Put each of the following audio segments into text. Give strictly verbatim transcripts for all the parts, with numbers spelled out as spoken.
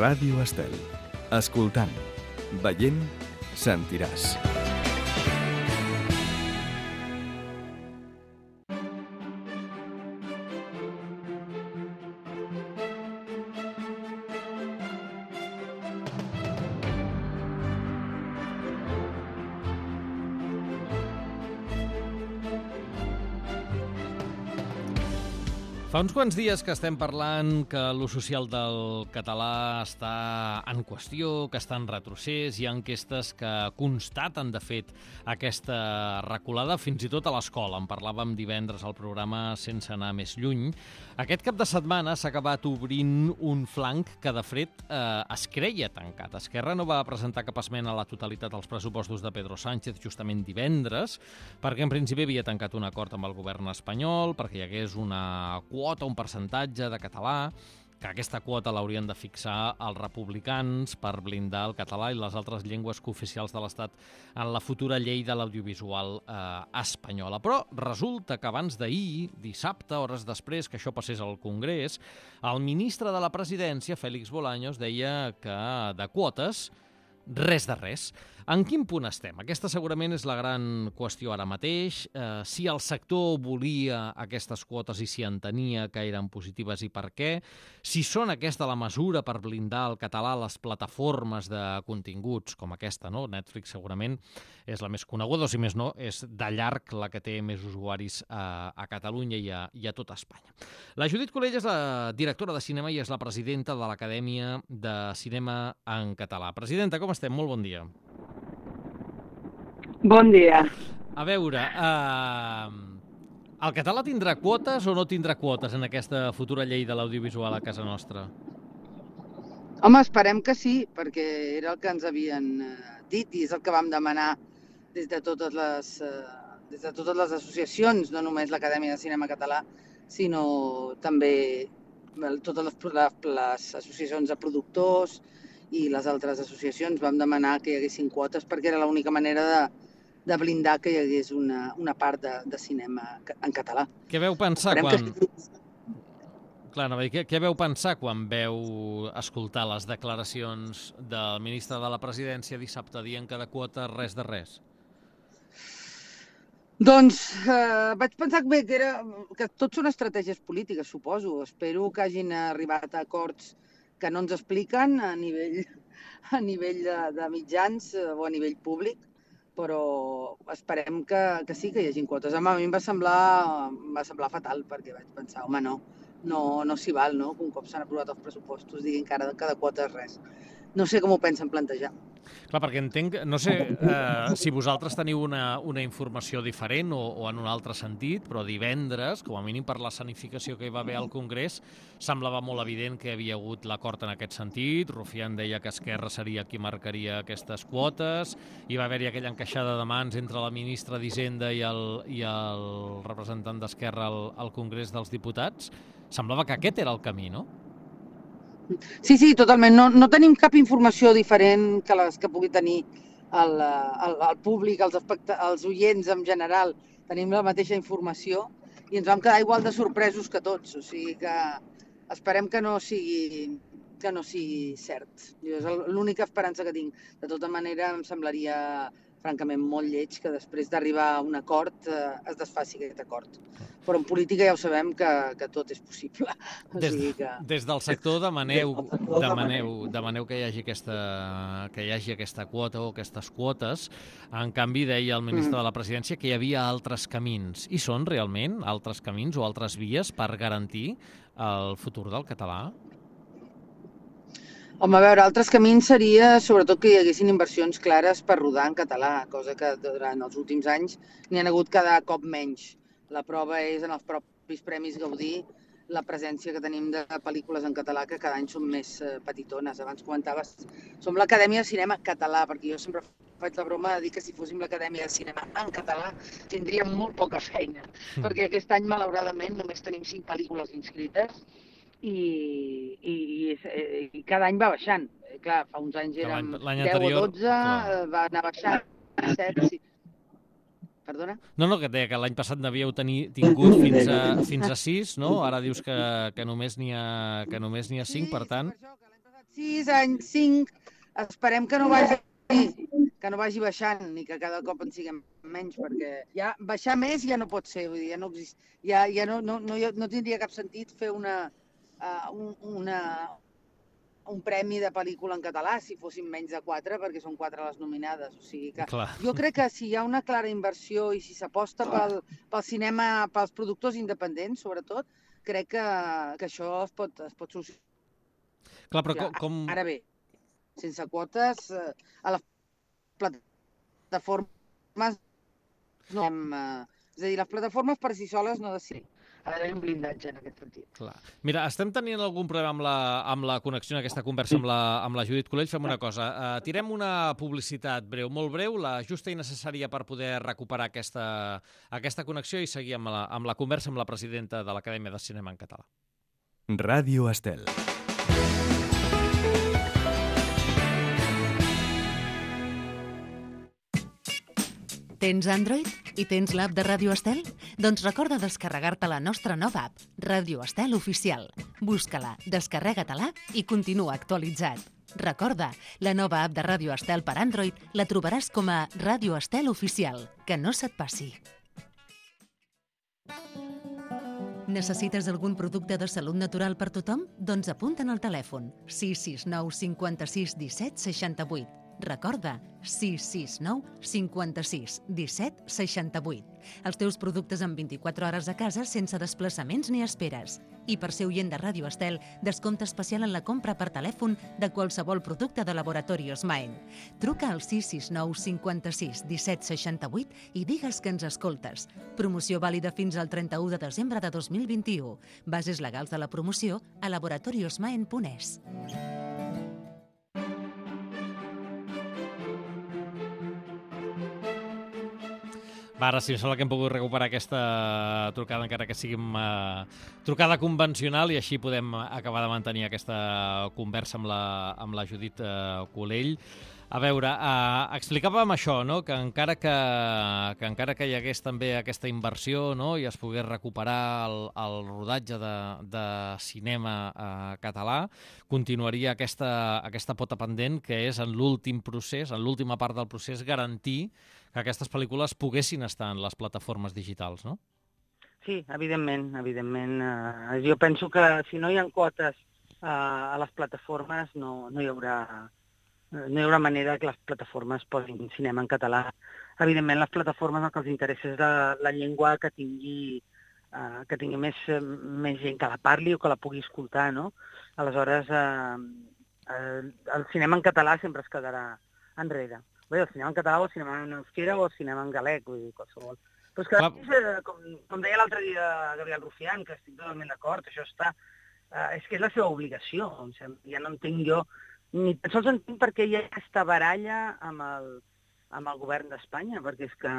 Ràdio Estel. Escoltant, veient, sentiràs. Fa uns quants dies que estem parlant que l'ús social del català està en qüestió, que està en retrocés. Hi ha enquestes que constaten, de fet, aquesta reculada, fins i tot a l'escola. En parlàvem divendres al programa Sense anar més lluny. Aquest cap de setmana s'ha acabat obrint un flanc que, de fet, eh, es creia tancat. Esquerra no va presentar cap esmena a la totalitat als pressupostos de Pedro Sánchez justament divendres, perquè en principi havia tancat un acord amb el govern espanyol, perquè hi hagués una quota, un percentatge de català, que aquesta quota l'haurien de fixar els republicans per blindar el català i les altres llengües cooficials de l'Estat en la futura llei de l'audiovisual eh, espanyola. Però resulta que abans d'ahir, dissabte, hores després que això passés al Congrés, el ministre de la Presidència, Félix Bolaños, deia que de quotes res de res. En quin punt estem? Aquesta segurament és la gran qüestió ara mateix. Eh, si el sector volia aquestes quotes i si entenia que eren positives i per què. Si són aquesta la mesura per blindar el català a les plataformes de continguts com aquesta, no? Netflix segurament és la més coneguda, o si més no, és de llarg la que té més usuaris a, a Catalunya i a, i a tot Espanya. La Judit Colell és la directora de cinema i és la presidenta de l'Acadèmia de Cinema en Català. Presidenta, com estem? Molt bon dia. Bon dia. A veure, eh, el català tindrà quotes o no tindrà quotes en aquesta futura llei de l'audiovisual a casa nostra? Home, esperem que sí, perquè era el que ens havien dit i és el que vam demanar des de totes les, des de totes les associacions, no només l'Acadèmia de Cinema Català, sinó també totes les, les, les associacions de productors i les altres associacions. Vam demanar que hi haguessin quotes perquè era l'única manera de de blindar que hi hagués una, una part de, de cinema en català. Què veu pensar Esperem quan... Que... Clar, no, què, què veu pensar quan veu escoltar les declaracions del ministre de la Presidència dissabte dient que de quota res de res? Doncs eh, vaig pensar que, bé, que, era, que tot són estratègies polítiques, suposo. Espero que hagin arribat a acords que no ens expliquen a nivell, a nivell de, de mitjans o a nivell públic, però esperem que, que sí, que hi hagi quotes. Home, a mi em va semblar, em va semblar fatal, perquè vaig pensar, home, no, no, no s'hi val, no?, que un cop s'han aprovat els pressupostos diguin que ara de cada quota és res. No sé com ho pensen plantejar. Clar, perquè entenc, no sé eh, si vosaltres teniu una, una informació diferent o, o en un altre sentit, però divendres, com a mínim per l'escenificació que hi va haver al Congrés, semblava molt evident que hi havia hagut l'acord en aquest sentit. Rufián deia que Esquerra seria qui marcaria aquestes quotes, hi va haver-hi aquella encaixada de mans entre la ministra d'Hisenda i el, i el representant d'Esquerra al, al Congrés dels Diputats. Semblava que aquest era el camí, no? Sí, sí, totalment. No, no tenim cap informació diferent que les que pugui tenir el, el, el públic, els, els oients en general. Tenim la mateixa informació i ens vam quedar igual de sorpresos que tots. O sigui que esperem que no sigui, que no sigui cert. Jo és l'única esperança que tinc. De tota manera, em semblaria francament molt lleig que després d'arribar a un acord eh, es desfaci aquest acord. Però en política ja ho sabem que, que tot és possible. O des, sigui que... des del sector demaneu, demaneu, demaneu que hi hagi aquesta, que hi hagi aquesta quota o aquestes quotes. En canvi, deia el ministre de la Presidència que hi havia altres camins. I són realment altres camins o altres vies per garantir el futur del català? Home, a veure, altres camins seria sobretot que hi haguessin inversions clares per rodar en català, cosa que durant els últims anys n'hi ha hagut cada cop menys. La prova és en els propis Premis Gaudí la presència que tenim de pel·lícules en català que cada any són més petitones. Abans comentaves, som l'Acadèmia de Cinema Català, perquè jo sempre faig la broma de dir que si fóssim l'Acadèmia de Cinema en català tindríem molt poca feina, mm. perquè aquest any, malauradament, només tenim cinc pel·lícules inscrites i, i, i, i cada any va baixant. Clar, fa uns anys érem deu o dotze, clar. Va anar baixant, set, sí. Perdona? No, no, que et deia que l'any passat n'havíeu tingut fins a, fins a sis, no? Ara dius que, que només n'hi ha, que només n'hi ha cinc, sí, per tant... Sí, per això, que l'any passat sis anys, cinc, esperem que no vagi que no vagi baixant ni que cada cop en siguem menys, perquè ja baixar més ja no pot ser, vull dir, ja no exist, ja, ja no, no, no, no tindria cap sentit fer una, uh, un, una, un premi de pel·lícula en català si fossin menys de quatre, perquè són quatre les nominades. O sigui que Clar. jo crec que si hi ha una clara inversió i si s'aposta pel, pel cinema, pels productors independents, sobretot, crec que, que això es pot, es pot solucionar. Clar, però com... com... Ara bé, sense quotes, eh, a les plataformes no hem, eh, és a dir, les plataformes per si soles no decidim. Ha d'haver un blindatge en aquest sentit. Clar. Mira, estem tenint algun problema amb la, amb la connexió en aquesta conversa amb la, amb la Judit Colell. Fem una cosa, uh, tirem una publicitat breu, molt breu, la justa i necessària per poder recuperar aquesta, aquesta connexió i seguir amb la, amb la conversa amb la presidenta de l'Acadèmia de Cinema en Català. Ràdio Estel. Tens Android i tens l'app de Ràdio Estel? Doncs recorda descarregar-te la nostra nova app, Ràdio Estel Oficial. Busca-la, descarrega-te-la i continua actualitzat. Recorda, la nova app de Ràdio Estel per Android la trobaràs com a Ràdio Estel Oficial. Que no se't passi. Necessites algun producte de salut natural per tothom? Doncs apunta'n al telèfon sis sis nou cinquanta-sis disset seixanta-vuit. Recorda, sis sis nou cinquanta-sis disset seixanta-vuit. Els teus productes en vint-i-quatre hores a casa sense desplaçaments ni esperes. I per ser oient de Ràdio Estel, descompte especial en la compra per telèfon de qualsevol producte de Laboratorios Maen. Truca al sis sis nou cinquanta-sis disset seixanta-vuit i digues que ens escoltes. Promoció vàlida fins al trenta-u de desembre de dos mil vint-i-u. Bases legals de la promoció a laboratoriosmaen punt es. Va, ara sí, em sembla que hem pogut recuperar aquesta trucada, encara que sigui uh, trucada convencional, i així podem acabar de mantenir aquesta conversa amb la, amb la Judit uh, Colell. A veure, uh, explicàvem això, no? que, encara que, que encara que hi hagués també aquesta inversió, no? i es pogués recuperar el, el rodatge de, de cinema uh, català, continuaria aquesta, aquesta pota pendent, que és en l'últim procés, en l'última part del procés, garantir que aquestes pel·lícules poguessin estar en les plataformes digitals, no? Sí, evidentment, evidentment. Uh, jo penso que si no hi ha quotes uh, a les plataformes no, no hi haurà... no hi haurà manera que les plataformes posin cinema en català. Evidentment, les plataformes el que els interessa és la, la llengua que tingui, uh, que tingui més, més gent que la parli o que la pugui escoltar, no? Aleshores, uh, uh, el cinema en català sempre es quedarà enrere. Bé, el cinema en català o el cinema en euskera o el cinema en galec, vull dir, qualsevol. Però és que, Clar. com, com deia l'altre dia Gabriel Rufián, que estic totalment d'acord, això està... Uh, és que és la seva obligació, em sembla. Ja no entenc jo... Ni tan sols entenc per què hi ha aquesta baralla amb el, amb el govern d'Espanya, perquè és que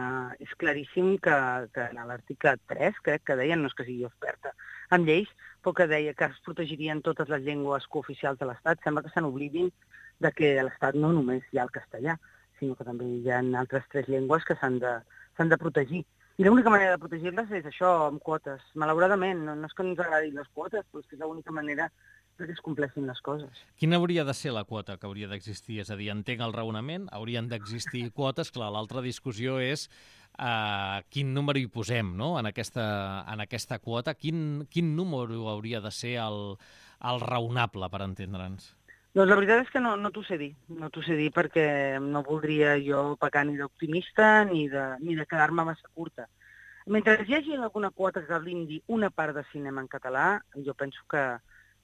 és claríssim que, que en l'article tres, crec que deien, no és que sigui experta en lleis, però que deia que es protegirien totes les llengües cooficials de l'Estat. Sembla que se n'oblidin de que a l'Estat no només hi ha el castellà, sinó que també hi ha altres tres llengües que s'han de, s'han de protegir. I l'única manera de protegir-les és això, amb quotes. Malauradament, no, no és que ens agradin les quotes, però és que és l'única manera que es compleixin les coses. Quina hauria de ser la quota que hauria d'existir? És a dir, entenc el raonament, haurien d'existir quotes. Clar, l'altra discussió és uh, quin número hi posem, no?, en aquesta, en aquesta quota. Quin, quin número hauria de ser el, el raonable, per entendre'ns? Doncs la veritat és que no, no t'ho sé dir, no t'ho sé dir perquè no voldria jo pecar ni d'optimista ni de, ni de quedar-me massa curta. Mentre hi hagi alguna quota que blindi una part de cinema en català, jo penso que,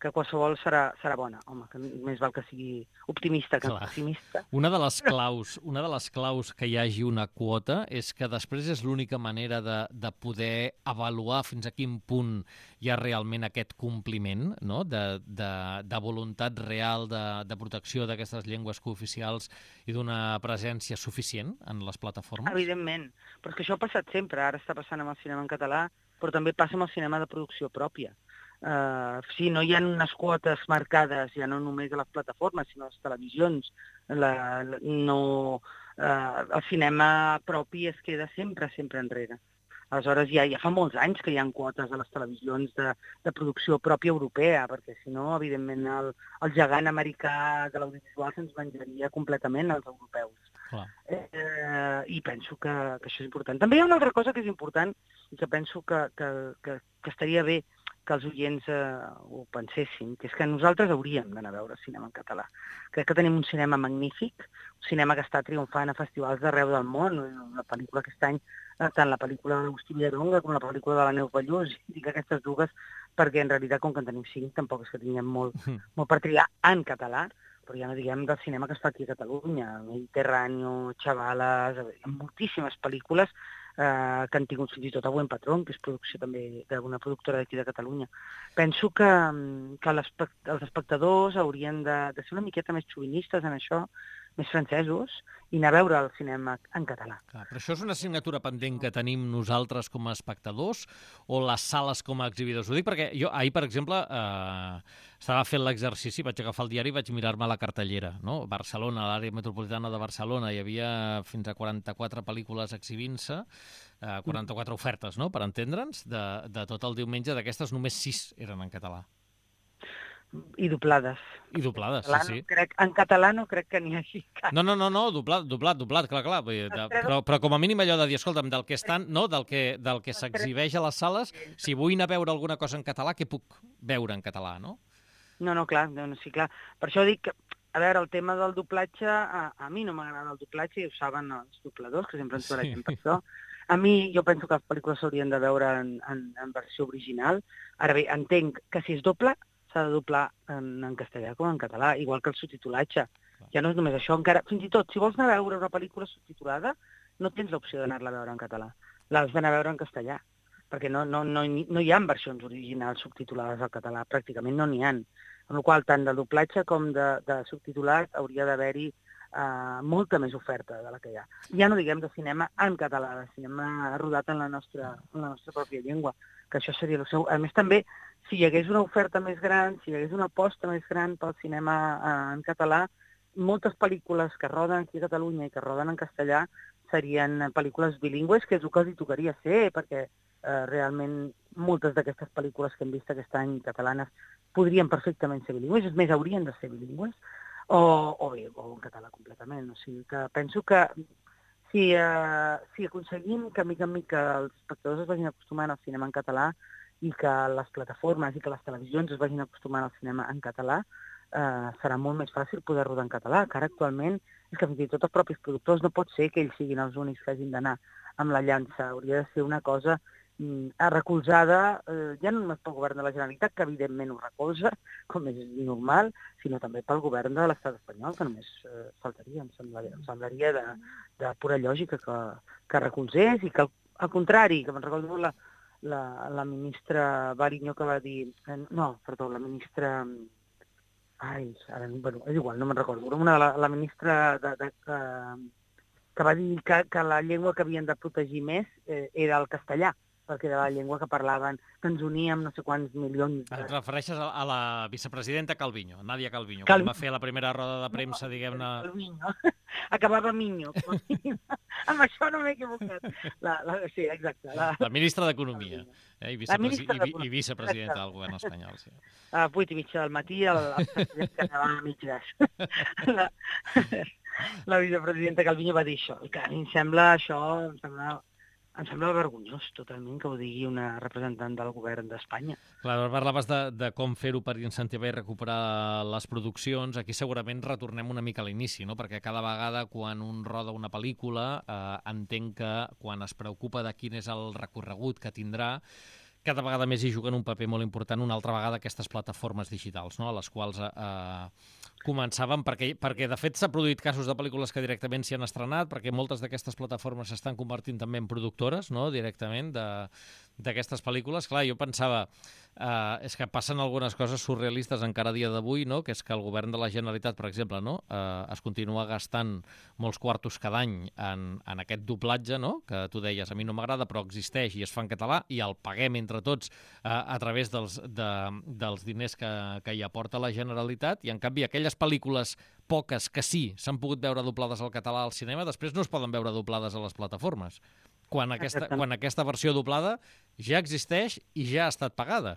que qualsevol serà, serà bona. Home, que més val que sigui optimista que Clar. pessimista. Una de les claus, una de les claus que hi hagi una quota és que després és l'única manera de, de poder avaluar fins a quin punt hi ha realment aquest compliment, no?, de, de, de voluntat real de, de protecció d'aquestes llengües cooficials i d'una presència suficient en les plataformes? Evidentment, però és que això ha passat sempre. Ara està passant amb el cinema en català, però també passa amb el cinema de producció pròpia. Uh, sí, no hi ha unes quotes marcades, ja no només a les plataformes, sinó a les televisions. La, la, no, uh, el cinema propi es queda sempre, sempre enrere. Aleshores, ja, ja fa molts anys que hi ha quotes a les televisions de, de producció pròpia europea, perquè si no, evidentment, el, el gegant americà de l'audiovisual se'ns menjaria completament als europeus. Clar. Eh, I penso que, que això és important. També hi ha una altra cosa que és important i que penso que, que, que, que estaria bé que els oients eh, ho pensessin, que és que nosaltres hauríem d'anar a veure cinema en català. Crec que tenim un cinema magnífic, un cinema que està triomfant a festivals d'arreu del món. La pel·lícula aquest any, tant la pel·lícula d'Agustí Villaronga com la pel·lícula de la Neus Ballús, dic aquestes dues perquè en realitat, com que en tenim cinc, tampoc és que tinguem molt, molt per triar en català, però ja no diguem del cinema que es fa aquí a Catalunya, Mediterráneo, Chavalas, hi ha moltíssimes pel·lícules eh, que han tingut fins i tot a Buen Patrón, que és producció també d'una productora d'aquí de Catalunya. Penso que, que els espectadors haurien de, de ser una miqueta més xovinistes en això, més francesos, i anar a veure el cinema en català. Clar, però això és una assignatura pendent que tenim nosaltres com a espectadors o les sales com a exhibidors? Ho dic perquè jo ahir, per exemple, eh, estava fent l'exercici, vaig agafar el diari i vaig mirar-me la cartellera, no? Barcelona, a l'àrea metropolitana de Barcelona, hi havia fins a quaranta-quatre pel·lícules exhibint-se, eh, quaranta-quatre ofertes, no?, per entendre'ns, de, de tot el diumenge. D'aquestes només sis eren en català. I doblades. I doblades, en sí, sí. Crec, en català no crec que n'hi hagi cap. No, no, no, no, doblat, doblat, doblat, clar, clar. Vull dir, de, però, però com a mínim allò de dir, escolta'm, del que estan, no, del que, del que s'exhibeix a les sales, si vull anar a veure alguna cosa en català, què puc veure en català, no? No, no, clar, no, sí, clar. Per això dic que, a veure, el tema del doblatge, a, a mi no m'agrada el doblatge, i ho saben els dobladors, que sempre ens barregem per això. A mi, jo penso que les pel·lícules s'haurien de veure en, en, en versió original. Ara bé, entenc que si és doble, s'ha de doblar en, en castellà com en català, igual que el subtitulatge. Ja no és només això, encara, fins i tot, si vols anar a veure una pel·lícula subtitulada, no tens l'opció d'anar-la a veure en català. L'has d'anar a veure en castellà, perquè no, no, no, no hi ha versions originals subtitulades al català, pràcticament no n'hi ha. Amb la qual cosa, tant de doblatge com de, de subtitulat hauria d'haver-hi uh, molta més oferta de la que hi ha. Ja no diguem de cinema en català, de cinema rodat en la nostra, en la nostra pròpia llengua, que això seria el seu... A més, també, si hi hagués una oferta més gran, si hi hagués una aposta més gran pel cinema eh, en català, moltes pel·lícules que roden aquí a Catalunya i que roden en castellà serien pel·lícules bilingües, que és el que els hi tocaria ser, perquè eh, realment moltes d'aquestes pel·lícules que hem vist aquest any catalanes podrien perfectament ser bilingües, és més, haurien de ser bilingües, o, o bé, o en català completament. O sigui que penso que si, eh, si aconseguim que, mica en mica, els espectadors es vagin acostumant al cinema en català i que les plataformes i que les televisions es vagin acostumant al cinema en català, eh, serà molt més fàcil poder rodar en català, que ara actualment és que fins i tot els propis productors no pot ser que ells siguin els únics que hagin d'anar amb la llança. Hauria de ser una cosa mm, recolzada, eh, ja no només pel govern de la Generalitat, que evidentment ho recolza, com és normal, sinó també pel govern de l'estat espanyol, que només eh, faltaria, em semblaria, em semblaria de, de pura lògica que, que recolzés, i que al, al contrari, que me'n recordo la, la, la ministra Bariño que va dir... Eh, no, perdó, la ministra... Ai, ara, bueno, és igual, no me'n recordo. Una de la, la ministra de, de, que, que va dir que, que la llengua que havien de protegir més eh, era el castellà, perquè era la llengua que parlaven, que ens uníem no sé quants milions... De... Et refereixes a, a la vicepresidenta Calviño, Nadia Calviño, Calvi... quan va fer la primera roda de premsa, no, diguem-ne... Calviño, acabava Miño. Amb això no m'he equivocat. La, la, sí, exacte. La, la ministra d'Economia eh, i, vicepresi... i, i, i vicepresidenta del govern espanyol. Sí. A vuit i mitja del matí, el, el president que anava a mig gas. La, la vicepresidenta Calviño va dir això. Que a mi em sembla això... Em sembla... Em sembla vergonyós, totalment, que ho digui una representant del govern d'Espanya. Clar, parlaves de, de com fer-ho per incentivar i recuperar les produccions. Aquí segurament retornem una mica a l'inici, no? Perquè cada vegada quan un roda una pel·lícula eh, entenc que quan es preocupa de quin és el recorregut que tindrà, cada vegada més hi juguen un paper molt important una altra vegada aquestes plataformes digitals, no? A les quals eh, començàvem, perquè, perquè de fet s'ha produït casos de pel·lícules que directament s'hi han estrenat, perquè moltes d'aquestes plataformes s'estan convertint també en productores, no?, directament d'aquestes pel·lícules. Clar, jo pensava, eh, és que passen algunes coses surrealistes encara a dia d'avui, no?, que és que el govern de la Generalitat, per exemple, no?, eh, es continua gastant molts quartos cada any en, en aquest doblatge, no?, que tu deies, a mi no m'agrada, però existeix i es fa en català, i el paguem entre tots eh, a través dels, de, dels diners que, que hi aporta la Generalitat, i en canvi aquelles pel·lícules poques que sí s'han pogut veure doblades al català al cinema, després no es poden veure doblades a les plataformes. quan aquesta, quan aquesta versió doblada ja existeix i ja ha estat pagada.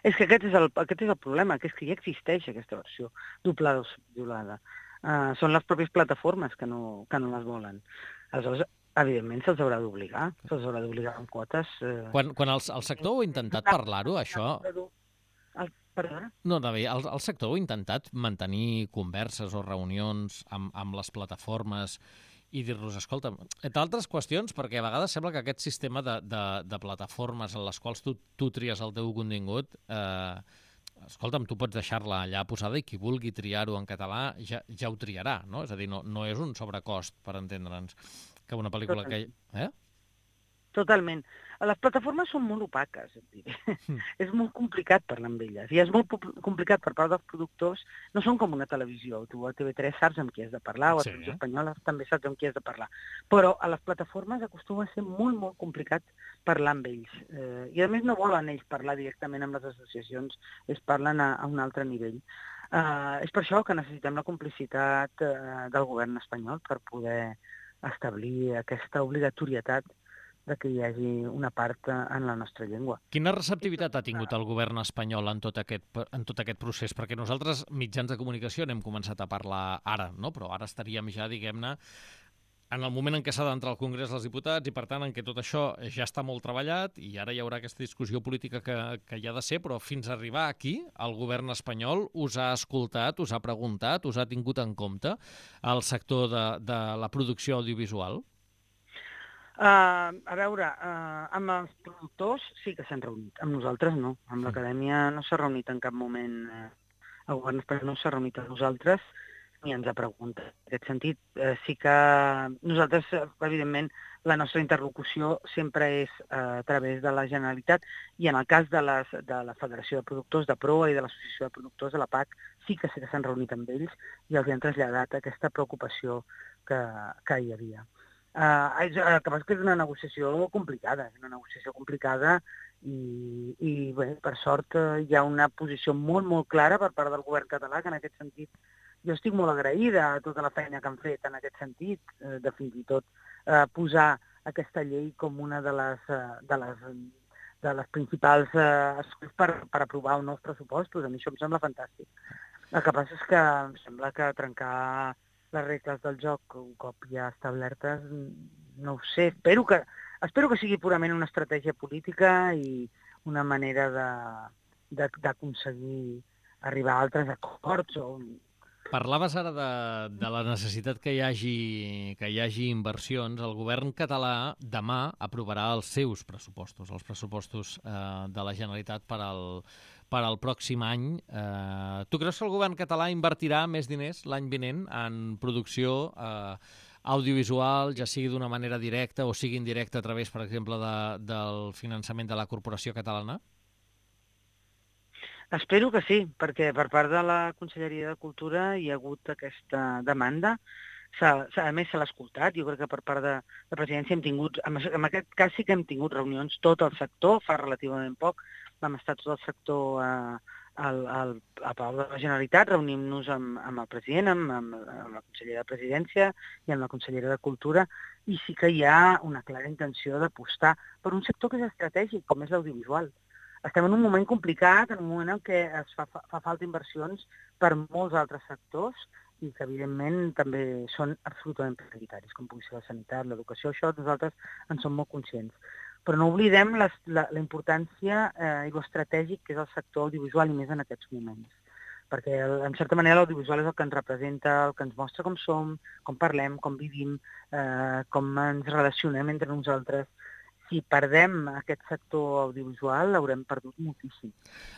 És que aquest és el, aquest és el problema, que és que ja existeix aquesta versió doblada o subtitulada. Uh, són les pròpies plataformes que no, que no les volen. Aleshores, evidentment, se'ls haurà d'obligar, se'ls haurà d'obligar amb quotes. Uh... Quan, quan el, el sector ho ha intentat parlar-ho, això... El, perdona? No, David, el, el sector ho ha intentat mantenir converses o reunions amb, amb les plataformes i dir-los, escolta, entre altres qüestions, perquè a vegades sembla que aquest sistema de, de, de plataformes en les quals tu, tu tries el teu contingut, eh, escolta'm, tu pots deixar-la allà posada i qui vulgui triar-ho en català ja, ja ho triarà, no? És a dir, no, no és un sobrecost, per entendre'ns, que una pel·lícula Totalment. que... Eh? Totalment. Les plataformes són molt opaques, et diré. Mm. És molt complicat parlar amb elles. I és molt complicat per part dels productors. No són com una televisió. Tu a T V tres saps amb qui has de parlar, o a sí. Televisió Espanyola també saps amb qui has de parlar. Però a les plataformes acostuma a ser molt, molt complicat parlar amb ells. Eh, I a més no volen ells parlar directament amb les associacions, ells parlen a, a un altre nivell. Eh, és per això que necessitem la complicitat eh, del govern espanyol per poder establir aquesta obligatorietat de que hi hagi una part en la nostra llengua. Quina receptivitat ha tingut el govern espanyol en tot aquest, en tot aquest procés? Perquè nosaltres, mitjans de comunicació, n'hem començat a parlar ara, no? Però ara estaríem ja, diguem-ne, en el moment en què s'ha d'entrar al Congrés dels Diputats i, per tant, en què tot això ja està molt treballat i ara hi haurà aquesta discussió política que, que hi ha de ser, però fins a arribar aquí, el govern espanyol us ha escoltat, us ha preguntat, us ha tingut en compte el sector de, de la producció audiovisual? Uh, a veure, uh, amb els productors sí que s'han reunit, amb nosaltres no. Amb l'acadèmia no s'ha reunit en cap moment, uh, el govern espanyol no s'ha reunit amb nosaltres ni ens ha preguntat. En aquest sentit, uh, sí que nosaltres, uh, evidentment, la nostra interlocució sempre és uh, a través de la Generalitat i en el cas de, les, de la Federació de Productors de Proa i de l'Associació de Productors de la P A C sí que sí que s'han reunit amb ells i els han traslladat aquesta preocupació que, que hi havia. Uh, és, el que passa és que és una negociació complicada, és una negociació complicada i, i bé, per sort uh, hi ha una posició molt, molt clara per part del govern català, que en aquest sentit jo estic molt agraïda a tota la feina que han fet en aquest sentit, uh, de fins i tot uh, posar aquesta llei com una de les, uh, de les, de les principals uh, per, per aprovar uns nous pressupostos. A mi això em sembla fantàstic. El que passa és que em sembla que trencar les regles del joc, un cop ja establertes, no ho sé. Espero que, espero que sigui purament una estratègia política i una manera d'aconseguir arribar a altres acords. O... Parlaves ara de, de la necessitat que hi hagi, que hi hagi inversions. El govern català demà aprovarà els seus pressupostos, els pressupostos eh, de la Generalitat per al per al pròxim any. Eh, tu creus que el govern català invertirà més diners l'any vinent en producció eh, audiovisual, ja sigui d'una manera directa o sigui indirecta a través, per exemple, de, del finançament de la Corporació Catalana? Espero que sí, perquè per part de la Conselleria de Cultura hi ha hagut aquesta demanda. A més, se l'ha escoltat. Jo crec que per part de la presidència hem tingut, en aquest cas sí que hem tingut reunions tot el sector, fa relativament poc, vam estar tot el sector a, al, al, a Palau de la Generalitat, reunim-nos amb, amb el president, amb, amb, amb la consellera de Presidència i amb la consellera de Cultura, i sí que hi ha una clara intenció d'apostar per un sector que és estratègic, com és l'audiovisual. Estem en un moment complicat, en un moment en què es fa, fa falta inversions per molts altres sectors i que, evidentment, també són absolutament prioritaris, com pugui ser la sanitat, l'educació. Això nosaltres en som molt conscients. Però no oblidem les, la, la importància eh, i l'estratègic que és el sector audiovisual i més en aquests moments. Perquè, en certa manera, l'audiovisual és el que ens representa, el que ens mostra com som, com parlem, com vivim, eh, com ens relacionem entre nosaltres. Si perdem aquest sector audiovisual, l'haurem perdut moltíssim.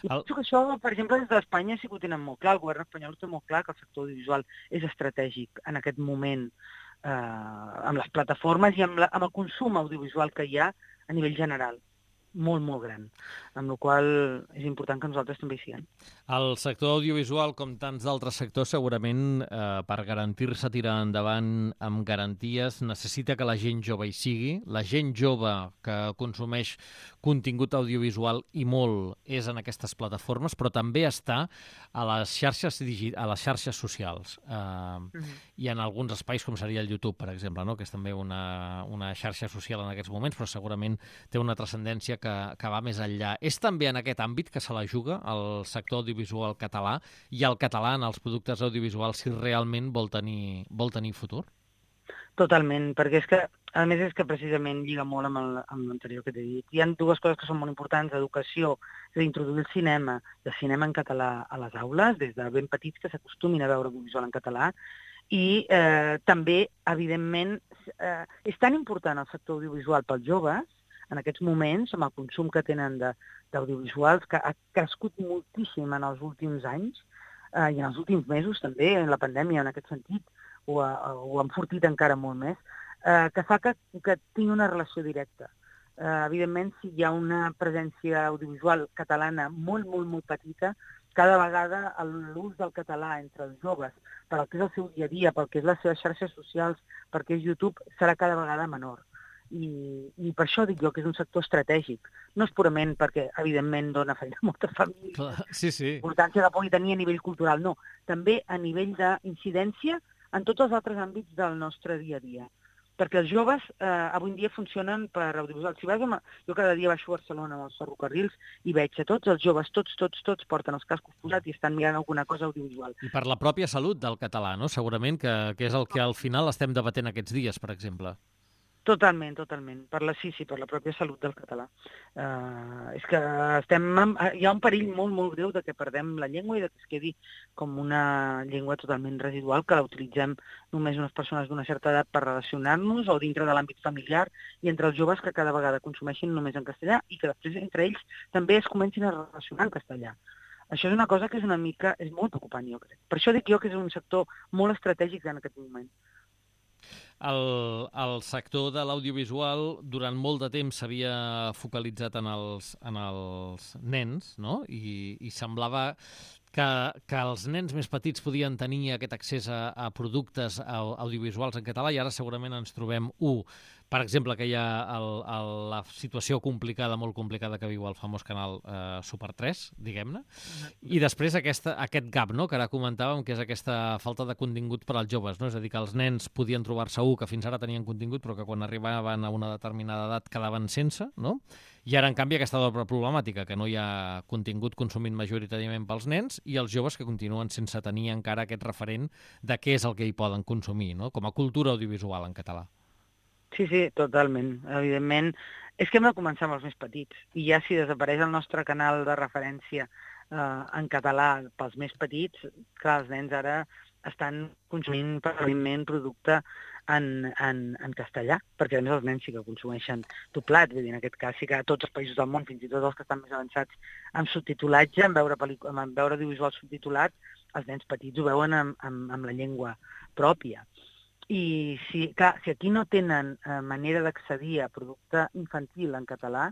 I el... penso que això, per exemple, des d'Espanya sí que ho tenen molt clar. El govern espanyol té molt clar que el sector audiovisual és estratègic en aquest moment eh, amb les plataformes i amb, la, amb el consum audiovisual que hi ha a nivell general. molt, molt gran, amb la qual cosa és important que nosaltres també hi siguem. El sector audiovisual, com tants d'altres sectors, segurament eh, per garantir-se tirar endavant amb garanties, necessita que la gent jove hi sigui. La gent jove que consumeix contingut audiovisual i molt és en aquestes plataformes, però també està a les xarxes, digi a les xarxes socials. Eh, mm-hmm. I en alguns espais, com seria el YouTube, per exemple, no? Que és també una, una xarxa social en aquests moments, però segurament té una transcendència que, que va més enllà. És també en aquest àmbit que se la juga el sector audiovisual català i el català en els productes audiovisuals si realment vol tenir, vol tenir futur? Totalment, perquè és que, a més, és que precisament lliga molt amb, amb l'anterior que t'he dit. Hi ha dues coses que són molt importants, educació, és a dir, introduir el cinema, el cinema en català a les aules, des de ben petits que s'acostumin a veure audiovisual en català, i eh, també, evidentment, eh, és tan important el sector audiovisual pels joves, en aquests moments, amb el consum que tenen d'audiovisuals, que ha crescut moltíssim en els últims anys, eh, i en els últims mesos també, en la pandèmia, en aquest sentit, ho ha, ho ha enfortit encara molt més, eh, que fa que, que tingui una relació directa. Eh, evidentment, si hi ha una presència audiovisual catalana molt, molt, molt petita, cada vegada l'ús del català entre els joves, per al que és el seu dia a dia, pel que és les seves xarxes socials, perquè és YouTube, serà cada vegada menor. I, i per això dic jo que és un sector estratègic. No és purament perquè, evidentment, dona feina a moltes famílies, Clar, sí, sí. importància que pugui tenir a nivell cultural, no. També a nivell d'incidència en tots els altres àmbits del nostre dia a dia. Perquè els joves eh, avui en dia funcionen per audiovisual. Si vas amb... Jo cada dia baixo a Barcelona amb els ferrocarrils i veig que tots els joves, tots, tots, tots porten els cascos posats i estan mirant alguna cosa audiovisual. I per la pròpia salut del català, no? Segurament que, que és el que al final estem debatent aquests dies, per exemple. Totalment, totalment. Per la, sí, sí, per la pròpia salut del català. Uh, és que estem... Amb, hi ha un perill molt, molt greu de que perdem la llengua i de que es quedi com una llengua totalment residual, que la utilitzem només unes persones d'una certa edat per relacionar-nos o dintre de l'àmbit familiar i entre els joves que cada vegada consumeixin només en castellà i que després entre ells també es comencin a relacionar en castellà. Això és una cosa que és una mica... és molt preocupant, jo crec. Per això dic jo que és un sector molt estratègic en aquest moment. El, el sector de l'audiovisual durant molt de temps s'havia focalitzat en els, en els nens, no? I, i semblava que, que els nens més petits podien tenir aquest accés a, a productes audiovisuals en català i ara segurament ens trobem, u, per exemple, que hi ha el, el, la situació complicada, molt complicada que viu el famós canal eh, Super tres, diguem-ne, i després aquesta, aquest gap, no?, que ara comentàvem, que és aquesta falta de contingut per als joves, no? És a dir, que els nens podien trobar-se un que fins ara tenien contingut però que quan arribaven a una determinada edat quedaven sense, no? I ara, en canvi, aquesta doble problemàtica, que no hi ha contingut consumit majoritàriament pels nens i els joves que continuen sense tenir encara aquest referent de què és el que hi poden consumir, no?, com a cultura audiovisual en català. Sí, sí, totalment. Evidentment, és que hem de començar amb els més petits. I ja si desapareix el nostre canal de referència eh, en català pels més petits, clar, els nens ara estan consumint permanentment producte en, en, en castellà, perquè a més els nens sí que consumeixen doblat, vull dir, en aquest cas sí que a tots els països del món, fins i tot els que estan més avançats en subtitulatge, en veure, en veure audiovisual subtitulat, els nens petits ho veuen amb, amb, amb la llengua pròpia. I si, clar, si aquí no tenen eh, manera d'accedir a producte infantil en català,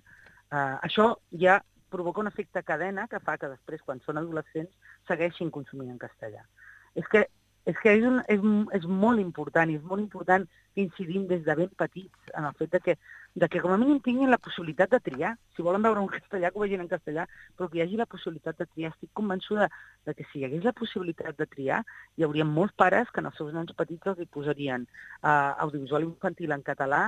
eh, això ja provoca un efecte cadena que fa que després, quan són adolescents, segueixin consumint en castellà. És que és, que és, un, és, és molt important, i és molt important que incidim des de ben petits en el fet de que, de que com a mínim tinguin la possibilitat de triar. Si volen veure un castellà, que ho vegin en castellà, però que hi hagi la possibilitat de triar. Estic convençuda de que si hi hagués la possibilitat de triar, hi hauria molts pares que en els seus nens petits els hi posarien uh, audiovisual infantil en català,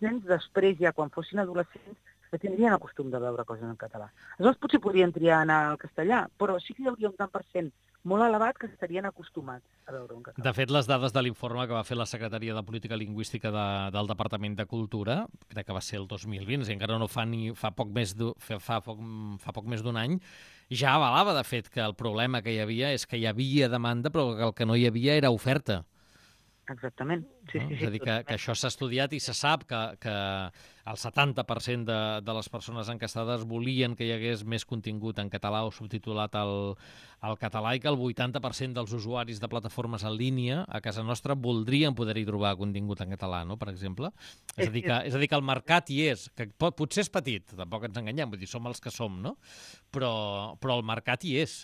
nens després, ja quan fossin adolescents, que tindrien el costum de veure coses en català. Aleshores potser podrien triar anar al castellà, però sí que hi hauria un tant per cent molt elevat que estarien acostumats a veure un català. De fet, les dades de l'informe que va fer la Secretaria de Política Lingüística de, del Departament de Cultura, crec que va ser el dos mil vint, si encara no fa ni fa poc més fa, fa poc, fa poc més d'un any, ja avalava, de fet, que el problema que hi havia és que hi havia demanda, però que el que no hi havia era oferta. exactament. Sí, no? sí, sí, És a dir, que, que això s'ha estudiat i se sap que, que el setanta per cent de, de les persones enquestades volien que hi hagués més contingut en català o subtitulat al, al català i que el vuitanta per cent dels usuaris de plataformes en línia a casa nostra voldrien poder-hi trobar contingut en català, no?, per exemple. És a dir, que, és a dir, que el mercat hi és, que pot, potser és petit, tampoc ens enganyem, vull dir, som els que som, no? Però, però el mercat hi és.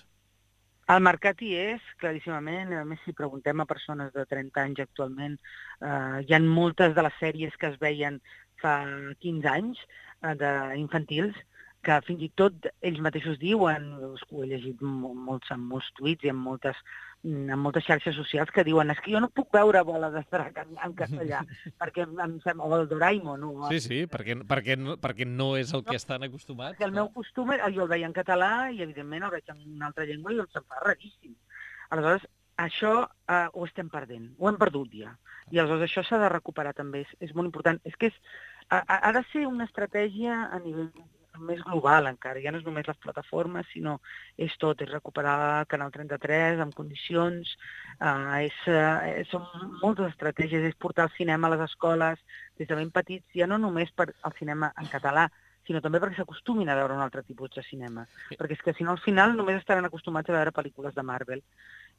El mercat hi és, claríssimament. A més, si preguntem a persones de trenta anys actualment, eh, hi ha moltes de les sèries que es veien fa quinze anys, eh, d'infantils, que fins i tot ells mateixos diuen, ho he llegit molts, en molts tuits i en moltes, en moltes xarxes socials, que diuen és que jo no puc veure Bola de Drac en, en castellà, perquè em sembla, o el Doraemon. O... Sí, sí, perquè, perquè, no, perquè no és el que estan acostumats. Perquè el meu costum, jo el veia en català i, evidentment, el veig en una altra llengua i em se'm fa raríssim. Aleshores, això eh, ho estem perdent, ho hem perdut ja. I aleshores això s'ha de recuperar també, és, és molt important. És que és, ha, ha de ser una estratègia a nivell més global encara, ja no és només les plataformes, sinó és tot, és recuperar Canal trenta-tres en condicions, eh, és, eh, són moltes estratègies, és portar el cinema a les escoles des de ben petits, ja no només per al cinema en català, sinó també perquè s'acostumin a veure un altre tipus de cinema. Sí. Perquè és que si no al final només estaran acostumats a veure pel·lícules de Marvel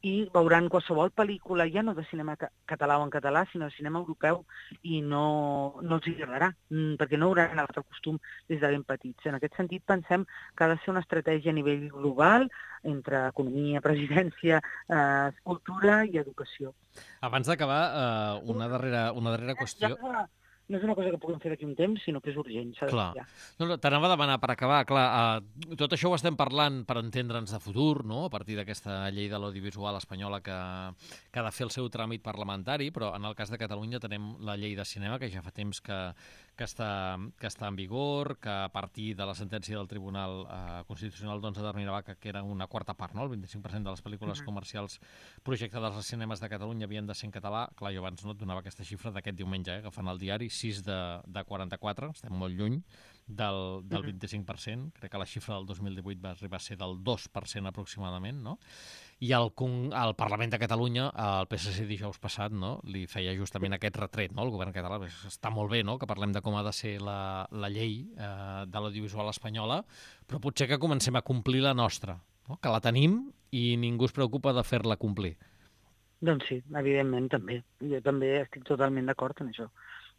i veuran qualsevol pel·lícula, ja no de cinema ca català o en català, sinó de cinema europeu, i no, no els agradarà, perquè no hauran agafat el costum des de ben petits. En aquest sentit, pensem que ha de ser una estratègia a nivell global entre economia, presidència, eh, cultura i educació. Abans d'acabar, eh, una, darrera, una darrera qüestió... Ja, no és una cosa que puguem fer d'aquí un temps, sinó que és urgent. Clar. No, no, t'anava a demanar, per acabar, clar, uh, tot això ho estem parlant per entendre'ns de futur, no?, a partir d'aquesta llei de l'audiovisual espanyola que, que ha de fer el seu tràmit parlamentari, però en el cas de Catalunya tenim la llei de cinema, que ja fa temps que, que, està, que està en vigor, que a partir de la sentència del Tribunal uh, Constitucional doncs, determinava que, que era una quarta part, no?, el vint-i-cinc per cent de les pel·lícules uh-huh. comercials projectades als cinemes de Catalunya havien de ser en català. Clar, jo abans no et donava aquesta xifra d'aquest diumenge, eh, agafant el diari, sis de, de quaranta-quatre, estem molt lluny del, del vint-i-cinc per cent, crec que la xifra del dos mil divuit va arribar a ser del dos per cent aproximadament, no? I el, el Parlament de Catalunya, el P S C dijous passat, no?, li feia justament aquest retret, no?, el govern català. Està molt bé, no?, que parlem de com ha de ser la, la llei eh, de l'audiovisual espanyola, però potser que comencem a complir la nostra, no?, que la tenim i ningú es preocupa de fer-la complir. Doncs sí, evidentment, també. Jo també estic totalment d'acord en això.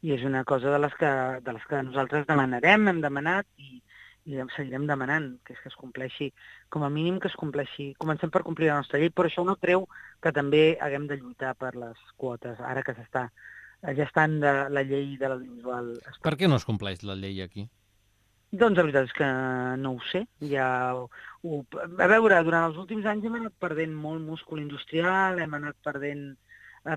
I és una cosa de les que, de les que nosaltres demanarem, hem demanat i, i seguirem demanant, que és que es compleixi, com a mínim que es compleixi. Comencem per complir la nostra llei, però això no treu que també haguem de lluitar per les quotes, ara que s'està gestant de la llei de l'audiovisual. Per què no es compleix la llei aquí? Doncs la veritat és que no ho sé. Ja ho, ho, a veure, durant els últims anys hem anat perdent molt múscul industrial, hem anat perdent...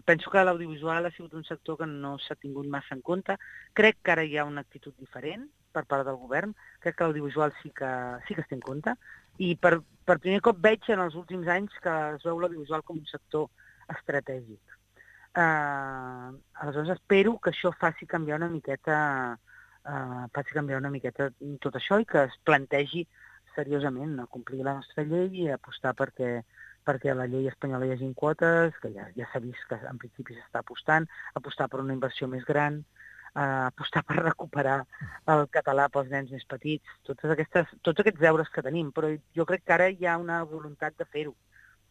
Penso que l'audiovisual ha sigut un sector que no s'ha tingut massa en compte. Crec que ara hi ha una actitud diferent per part del govern. Crec que l'audiovisual sí que, sí que es té en compte. I per, per primer cop veig en els últims anys que es veu l'audiovisual com un sector estratègic. Uh, aleshores espero que això faci canviar una miqueta, uh, faci canviar una miqueta tot això i que es plantegi seriosament a complir la nostra llei i apostar perquè perquè a la llei espanyola hi hagi quotes, que ja, ja s'ha vist que en principi s'està apostant, apostar per una inversió més gran, eh, apostar per recuperar el català pels nens més petits, totes aquestes, tots aquests deures que tenim, però jo crec que ara hi ha una voluntat de fer-ho,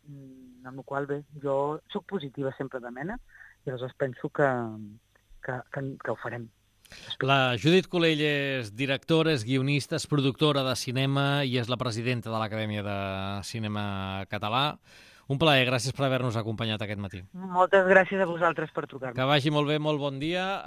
amb la qual bé, jo sóc positiva sempre de mena, i aleshores penso que, que, que, que ho farem. La Judit Culell és directora, és guionista, és productora de cinema i és la presidenta de l'Acadèmia de Cinema Català. Un plaer, gràcies per haver-nos acompanyat aquest matí. Moltes gràcies a vosaltres per trucar-me. Que vagi molt bé, molt bon dia.